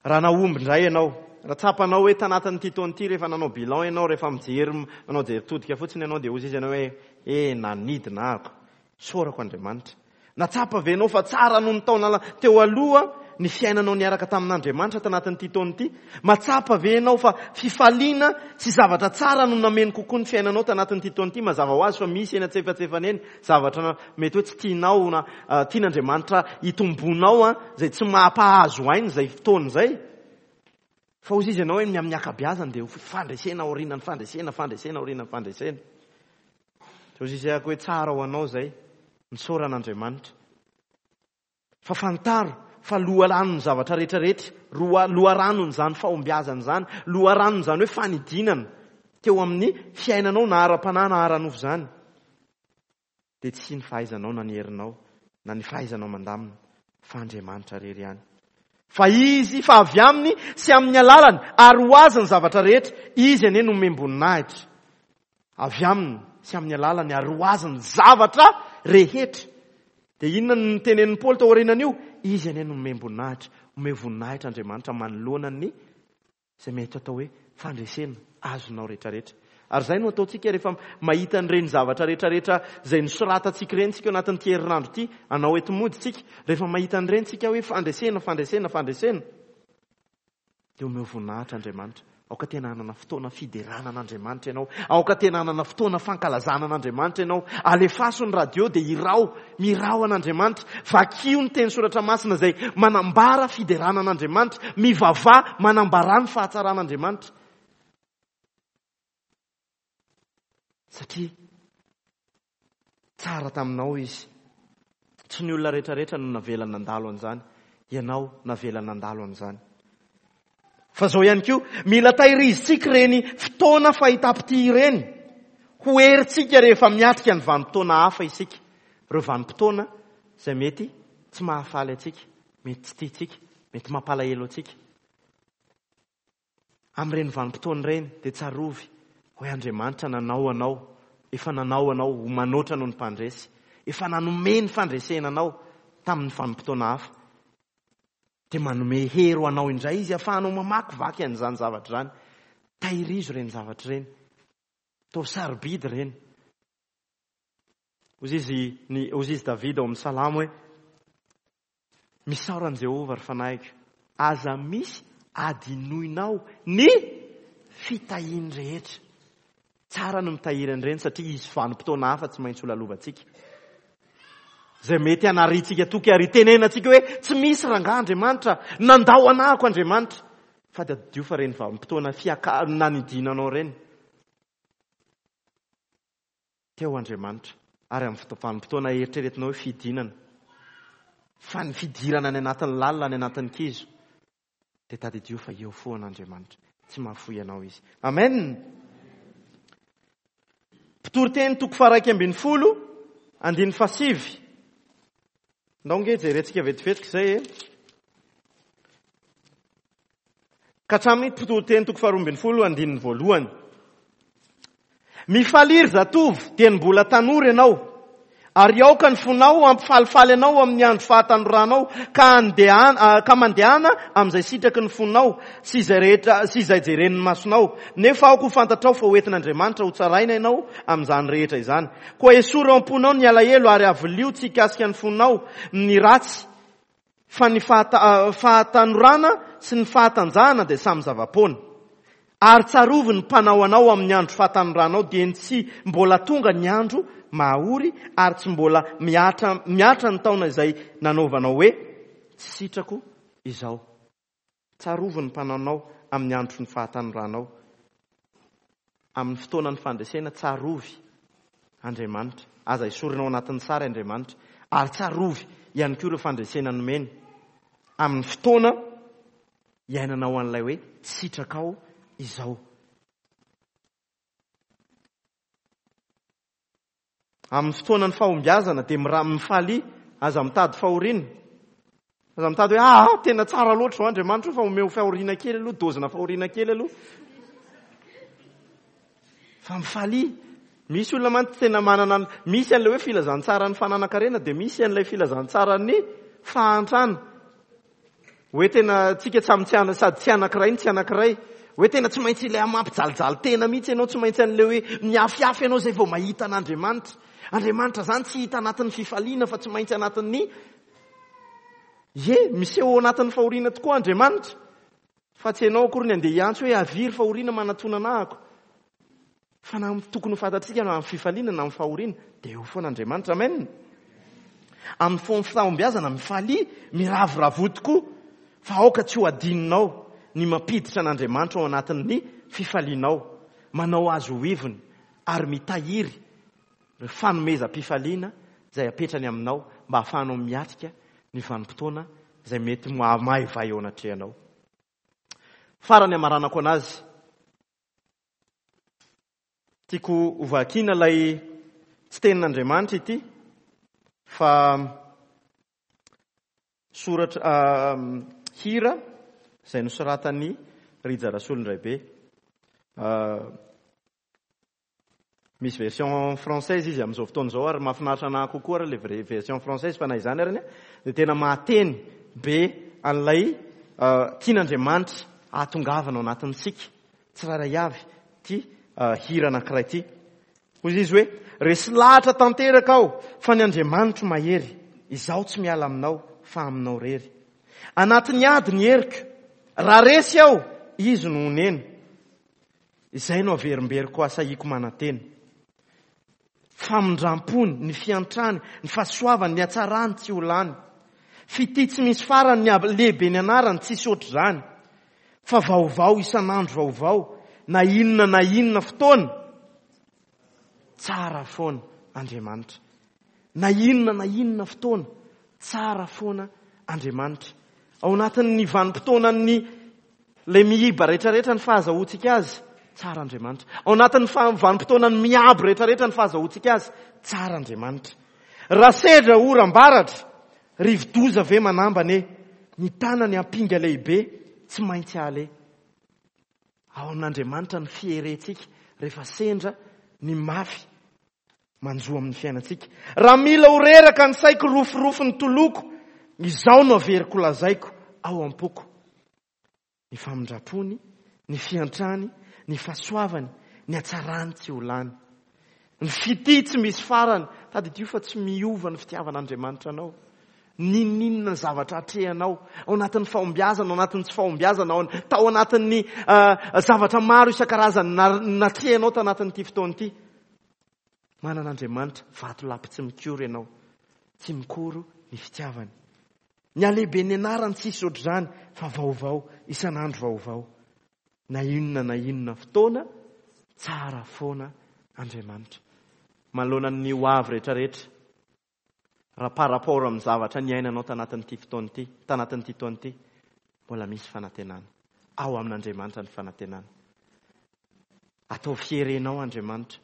Raha nahomby indray ianao, raha tsapanao hoe tanatin'ity taona ity rehefa nanao bilan ianao, rehefa mijery, manao jery todika fotsiny ianao, dia hoy izy ianao hoe e, nanidina aho, sorako Andriamanitra. Natsapa ve ianao fa tsara noho ny taona teo aloha ny fiainanao niaraka tamin'Andriamanitra tanatin'ity taona ity? Matsapa ve ianao fa fifaliana sy zavatra tsara no nameno kokoa ny fiainanao tanatin'ity taona ity? Mazava ho azy fa misy eny antsefatsefany eny zavatra mety hoe tsy tianao na, ah, tian'Andriamanitra hitombonao, ah, izay tsy mampahazo aina izay fotoana izay. Fa hoy izy ianao hoe ny amin'ny ankabeazany dia ho fandresena aorian'ny fandresena, fandresena aorian'ny fandresena. Hoy izy hoe tsara ho anao izay, misaora an'Andriamanitra. Fa fantaro fa loharanon'ny zavatra rehetrarehetra, roa-, loharanon'izany fahombiazana izany, loharanon'izany hoe fanidinana teo amin'ny fiainanao na ara-panahy na ara-nofo izany, dia tsy ny fahaizanao na ny herinao na ny fahaizanao mandamina, fa Andriamanitra irery ihany. Fa izy, fa avy aminy sy amin'ny alalany ary ho azy ny zavatra rehetra, izy anie no omem-boninahitra. Avy aminy sy amin'ny alalany ary ho azy ny zavatra rehetra. Dia inona no nitenenin'i Paoly tao aorianan'io? Izy anie no omem-boninahitra. Omeo voninahitra Andriamanitra manoloana ny izay mety atao hoe fandresena azonao rehetrarehetra. Ary izay no ataontsika rehefa mahita an'ireny zavatra rehetrarehetra izay nosoratantsika ireny tsika ao anatin'ity herinandro ity, anao eto mody tsika, rehefa mahita an'ireny tsika hoe fandresena, fandresena, fandresena, dia omeo voninahitra Andriamanitra. Aoka tena hanana fotoana fiderana an'Andriamanitra ianao. Aoka tena hanana fotoana fankalazana an'Andriamanitra ianao. Alefaso ny radio dia hirao, mirao an'Andriamanitra. Vakio ny teny soratra masina izay manambara fiderana an'Andriamanitra. Mivavaha manambara ny fahatsaran'Andriamanitra. Satria tsara taminao izy. Tsy ny olona rehetrarehetra no navela nandalo an'izany. Ianao navela nandalo an'izany. Fa zao ihany koa, mila tahirizitsika ireny fotoana fahitam-pitia ireny. Ho herintsika rehefa miatrika ny vanim-potoana hafa isika. Ireo vanim-potoana izay mety tsy mahafaly antsika, mety tsy tiantsika, mety mampalahelo antsika. Amin'ireny vanim-potoana ireny dia tsarovy hoe Andriamanitra nanao anao, efa nanao anao ho manoatra noho ny mpandresy, efa nanome ny fandresena anao tamin'ny vanim-potoana hafa. Dia manome hery ho anao indray izy ahafahanao mamakivaky an'izany zavatra izany. Tahirizo ireny zavatra ireny. Atao sarobidy ireny. Hoy izy, ny, hoy izy Davida ao amin'ny Salamo hoe misaora an'i Jehovah ry fanahiko, aza misy adinoinao ny fitahiany rehetra. Tsara no mitahiry an'ireny satria izy vanim-potoana hafa tsy maintsy ho lalovantsika. Izay mety hanariantsika toky ary hitenenantsika hoe tsy misy rangahy Andriamanitra, nandao anahako Andriamanitra. Fa dia tadidio fa ireny vanim-potoana fiaka-, nanidinanao ireny. Teo Andriamanitra. Ary amin'ny foto-, vanim-potoana eritreretinao hoe fidinana. Fa ny fidirana any anatin'ny lalina, any anatin'ny kizo, dia tadidio fa eo foana Andriamanitra. Tsy mahafoy anao izy. Amen. Mpitoriteny toko faha-iraika ambin'ny folo, andininy fahasivy. Ndao nge jerentsika vetivetiky izay e. Ka hatramin'ny mpitoriteny toko faharoa ambin'ny folo, andininy voalohany. Mifalia ry zatovo, dia ny mbola tanora ianao. Ary aoka ny fonao hampifalifaly anao amin'ny andro fahatanoranao, ka andehana, ka mandehana amin'izay sitraky ny fonao sy izay rehetra, sy izay jeren'ny masonao. Nefa aoka ho fantatrao fa hoentin'Andriamanitra ho tsaraina ianao amin'izany rehetra izany. Koa esory ao am-ponao ny alahelo ary avilio tsy hikasika ny fonao ny ratsy, fa ny fahata-, fahatanorana sy ny fahatanjahana dia samy zava-poana. Ary tsarovy ny mpanao anao amin'ny andro fahatanoranao, dia ny tsy mbola tonga ny andro mahory ary tsy mbola mihatra, mihatra ny taona izay nanaovanao hoe tsy sitrako izao. Tsarovy ny mpanao anao amin'ny andro ny fahatanoranao. Amin'ny fotoana ny fandresena, tsarovy Andriamanitra. Aza esorina ao anatin'ny sary Andriamanitra. Ary tsarovy ihany koa ireo fandresena nomeny. Amin'ny fotoana iainanao an'ilay hoe tsy sitrakao izao. Amin'ny fotoanan'ny fahombiazana dia mira-, mifalia, aza mitady fahoriana. Aza mitady hoe, ah, tena tsara loatra izao Andriamanitra fa omeo fahoriana kely aloha, dozina fahoriana kely aloha. Fa mifalia. Misy olona mantsy tena manana, misy an'ilay hoe filazantsaran'ny fananan-karena dia misy an'ilay filazantsaran'ny fahantrana. Hoe tena tsika samy tsy ana-, sady tsy anankiray no tsy anankiray. Hoe tena tsy maintsy ilay mampijalijaly tena mihitsy ianao, tsy maintsy an'ilay hoe miafiafy ianao izay vao mahita an'Andriamanitra. Andriamanitra izany tsy hita anatin'ny fifaliana fa tsy maintsy anatin'ny, ie, miseho ao anatin'ny fahoriana tokoa Andriamanitra. Fa tsy ianao akory ny andeha hiantso hoe avia ry fahoriana manatona anahako. Fa na tokony ho fantatsika na amin'ny fifaliana na amin'ny fahoriana dia eo foana Andriamanitra. Amen. Amin'ny fo-, fahombiazana, mifalia, miravoravo tokoa. Fa aoka tsy ho adinonao ny mampiditra an'Andriamanitra ao anatin'ny fifalianao, manao azy ho ivony ary mitahiry ny fanomezam-pifaliana izay apetrany aminao mba hahafahanao miatrika ny vanim-potoana izay mety mahaivay eo anatrehanao. Farany amaranako anazy, tiako hovakiana ilay tsy tenin'Andriamanitra ity fa soratra, ah, hira izay nosoratan'i Rija Rasolondraibe. Ah, misy version française izy amin'izao fotoana izao ary mahafinaritra anahy kokoa ary ilay vrai version française, fa na izany ary dia tena mahateny be an'ilay, ah, tian'Andriamanitra hahatongavana ao anatintsika tsirairay avy ity, ah, hira anankiray ity. Hoy izy hoe, resy lahatra tanteraka aho fa ny Andriamanitro mahery, izaho tsy miala aminao fa aminao rery. Anatin'ny ady ny heriko, raha resy aho, izy no honena. Izay no averimberiko asahiko manantena. Famindram-pony, ny fiantrany, ny fahasoavany, ny hatsarany tsy ho lany. Fitia tsy misy farany, ny ab-, lehibe ny anarany, tsisy ohatr'izany. Fa vaovao isan'andro vaovao, na inona na inona fotoana, Tsara foana Andriamanitra. Na inona na inona fotoana, tsara foana Andriamanitra. Ao anatin'ny vanim-potoanan'ny ilay miiba rehetrarehetra ny fahazahoantsika azy, tsara Andriamanitra. Ao anatin'ny vanim-potoanan'ny miabo rehetrarehetra ny fahazahoantsika azy, tsara Andriamanitra. Raha sendra oram-baratra, rivo-doza ve manambana e? Ny tanany ampinga lehibe tsy maintsy ale. Ao amin'Andriamanitra ny fierentsika rehefa sendra ny mafy manjo amin'ny fiainantsika. Raha mila ho reraka ny saiko, rofirofy ny toloko, izao no averiko lazaiko ao am-poko. Ny famindrapony, ny fiantrany, ny fahasoavany, ny hatsarany tsy ho lany. Ny fitia tsy misy farany. Tadidio fa tsy miova ny fitiavan'Andriamanitra anao. N'inon'inona ny zavatra atrehanao, ao anatin'ny fahombiazana, ao anatin'ny tsy fahombiazana, ao tao anatin'ny zavatra maro isan-karazany natrehanao tao anatin'ity fotoana ity. Manana Andriamanitra vatolampy tsy mikoro ianao. Tsy mikoro ny fitiavany. Ny halehiben'ny anarany tsisy ohatr'izany fa vaovao, isan'andro vaovao. Na inona na inona fotoana, tsara foana Andriamanitra. Manoloana ny ho avy rehetrarehetra, raha par rapport amin'ny zavatra niainanao tanatin'ity fotoana ity, tanatin'ity taona ity, mbola misy fanantenana. Ao amin'Andriamanitra ny fanantenana. Ataovy fierenao Andriamanitra.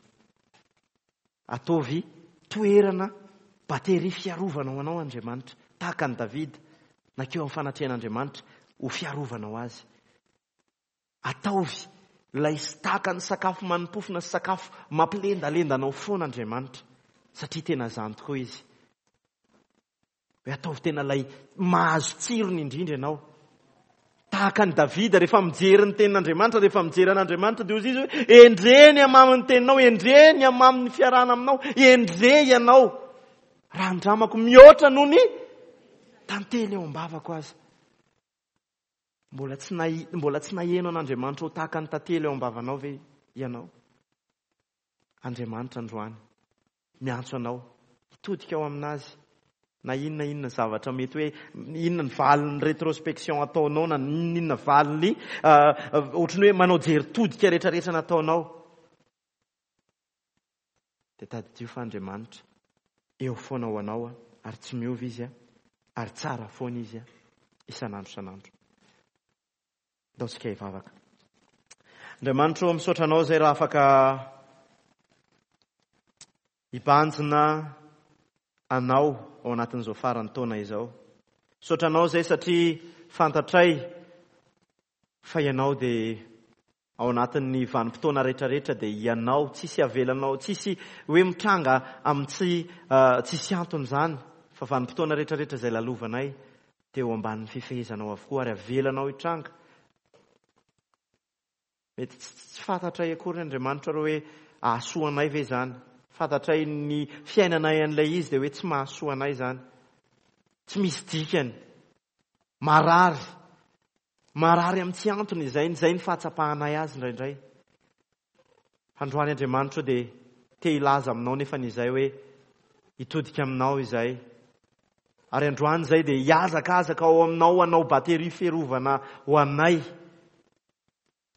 Ataovy toerana bateria fiarovana ho anao Andriamanitra. Tahaka an'i Davida, nakeo amin'ny fanatrehan'Andriamanitra ho fiarovana ho azy. Ataovy ilay tahaka ny sakafo manimpofona sy sakafo mampilendalenda anao foana Andriamanitra, satria tena izany tokoa izy. Hoe ataovy tena ilay mahazo tsirony indrindra ianao. Tahaka an'i Davida rehefa mijery ny tenin'Andriamanitra, rehefa mijery an'Andriamanitra dia hoy izy hoe endrey ny hamamin'ny teninao, endrey ny hamamin'ny fiarahana aminao, endrey ianao. Raha andramako mihoatra noho ny tantely eo am-bavako aza. Mbola tsy nahi-, mbola tsy naheno an'Andriamanitra ho tahaka ny tantely eo am-bavanao ve ianao? Andriamanitra androany miantso anao hitodika ao aminazy. Na inona inona zavatra mety hoe inona ny valin'ny rétrospection ataonao, na inona inona valiny, ohatran'ny hoe manao jery todika rehetrarehetra nataonao, dia tadidio fa Andriamanitra eo foana ho anao, ary tsy miova izy, ary tsara foana izy isan'andro isan'andro. Ndao tsika hivavaka. Andriamanitra ô, misaotra anao izay raha afaka hibanjina anao ao anatin'izao faran'ny taona izao. Misaotra anao izay satria fantatray fa ianao dia ao anatin'ny vanim-potoana rehetrarehetra dia ianao, tsisy avelanao, tsisy hoe mitranga amin'ny tsy, tsisy antony izany, fa vanim-potoana rehetrarehetra izay lalovanay dia eo ambanin'ny fifehezanao avokoa ary avelanao hitranga. Mety tsy, tsy fantatray akory Andriamanitra raha hoe ahasoa anay ve izany. Fantatray ny fiainanay an'ilay izy dia hoe tsy mahasoa anay izany. Tsy misy dikany. Marary. Marary amin'ny tsy antony izay, izay ny fahatsapahanay azy indraindray. Androany Andriamanitra dia te hilaza aminao nefa izay hoe hitodika aminao izay. Ary androany izay dia hihazakazaka ao aminao hanao bateria fiarovana ho anay.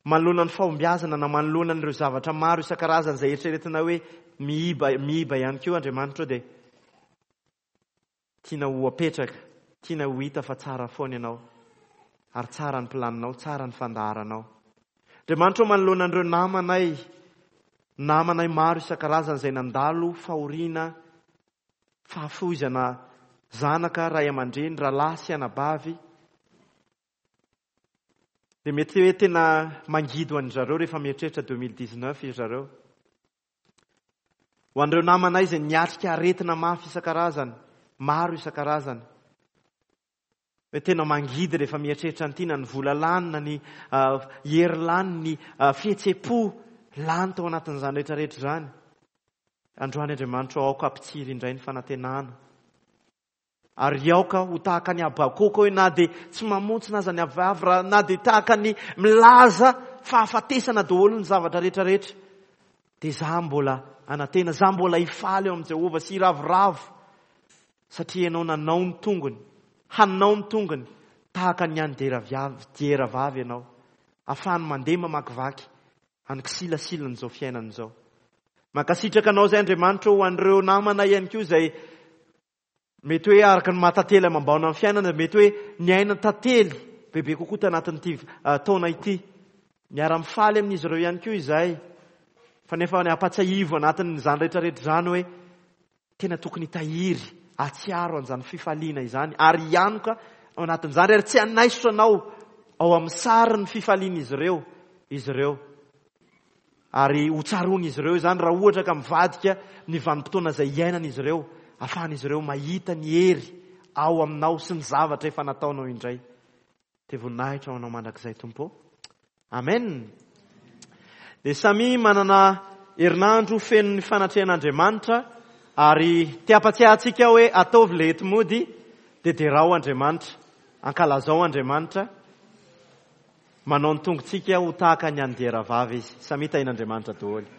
Manoloana ny fahombiazana na manoloana an'ireo zavatra maro isan-karazany izay eritreretina hoe miiba, miiba ihany koa Andriamanitra dia tiana ho apetraka, tiana ho hita fa tsara foana ianao. Ary tsara ny planinao, tsara ny fandaharanao. Andriamanitra manoloana an'ireo namanay, namanay maro isan-karazany izay nandalo fahoriana, fahafoizana zanaka, ray aman-dreny, rahalahy sy anabavy. Dia mety hoe tena mangidy ho an-dry zareo rehefa mieritreritra deux mille dix-neuf izy zareo. Ho an'ireo namanay izay niatrika aretina mafy isan-karazany, maro isan-karazany. Hoe tena mangidy rehefa mieritreritra an'ity, na ny vola lany, na ny, ah, hery lany, ny, ah, fihetseham-po lany tao anatin'izany rehetrarehetra izany. Androany Andriamanitra aoka hampitsiry indray ny fanantenana. Ary aoka ho tahaka ny Habakoka hoe na dia tsy mamontsina aza ny avy, raha na dia tahaka ny milaza fahafatesana daholo ny zavatra rehetrarehetra, dia za mbola anantena, za mbola hifaly eo amin'i Jehovah sy hiravoravo, satria ianao nanao ny tongony, hanao ny tongony tahaka ny an'ny diera-viavy, diera-vavy ianao, ahafahany mandeha mamakivaky any kisilasilana izao fiainana izao. Mankasitraka anao izay Andriamanitra ho an'ireo namana ihany koa izay mety hoe araka ny maha-tantely amam-baona amin'ny fiainana, mety hoe niaina tantely bebe kokoa tanatin'ity taona ity. Miara-mifaly amin'izy ireo ihany koa izay. Fa nefa ny ampatsiahivo anatin'izany rehetrarehetra izany hoe tena tokony hitahiry, hahatsiaro an'izany fifaliana izany ary hianoka ao anatin'izany ary tsy hanaisotra anao ao amin'ny sarin'ny fifalian'izy ireo izy ireo. Ary ho tsaroan'izy ireo izany raha ohatra ka mivadika ny vanim-potoana izay iainan'izy ireo, ahafahan'izy ireo mahita ny hery ao aminao sy ny zavatra efa nataonao indray. Dia voninahitra ho anao mandrakizay Tompo. Amen. Dia samy manana herinandro feno ny fanatrehan'Andriamanitra ary te hampatsiahy antsika hoe ataovy le enti-mody dia derao Andriamanitra, ankalazao Andriamanitra, manao ny tongotsika ho tahaka ny an'ny dieravavy izy. Samy tahin'Andriamanitra daholo.